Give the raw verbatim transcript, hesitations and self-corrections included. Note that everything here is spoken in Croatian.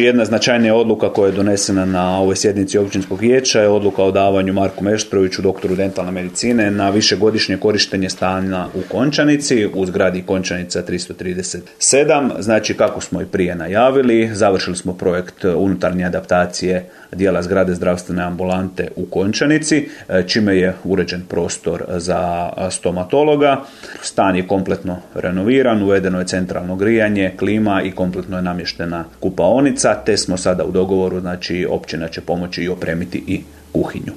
Jedna značajnija odluka koja je donesena na ovoj sjednici općinskog vijeća je odluka o davanju Marku Meštroviću, doktoru dentalne medicine, na višegodišnje korištenje stana u Končanici, u zgradi Končanica tristo trideset sedam. Znači, kako smo i prije najavili, završili smo projekt unutarnje adaptacije dijela zgrade zdravstvene ambulante u Končanici, čime je uređen prostor za stomatologa. Stan je kompletno renoviran, uvedeno je centralno grijanje, klima i kompletno je namještena kupaonica, te smo sada u dogovoru, znači općina će pomoći i opremiti i kuhinju.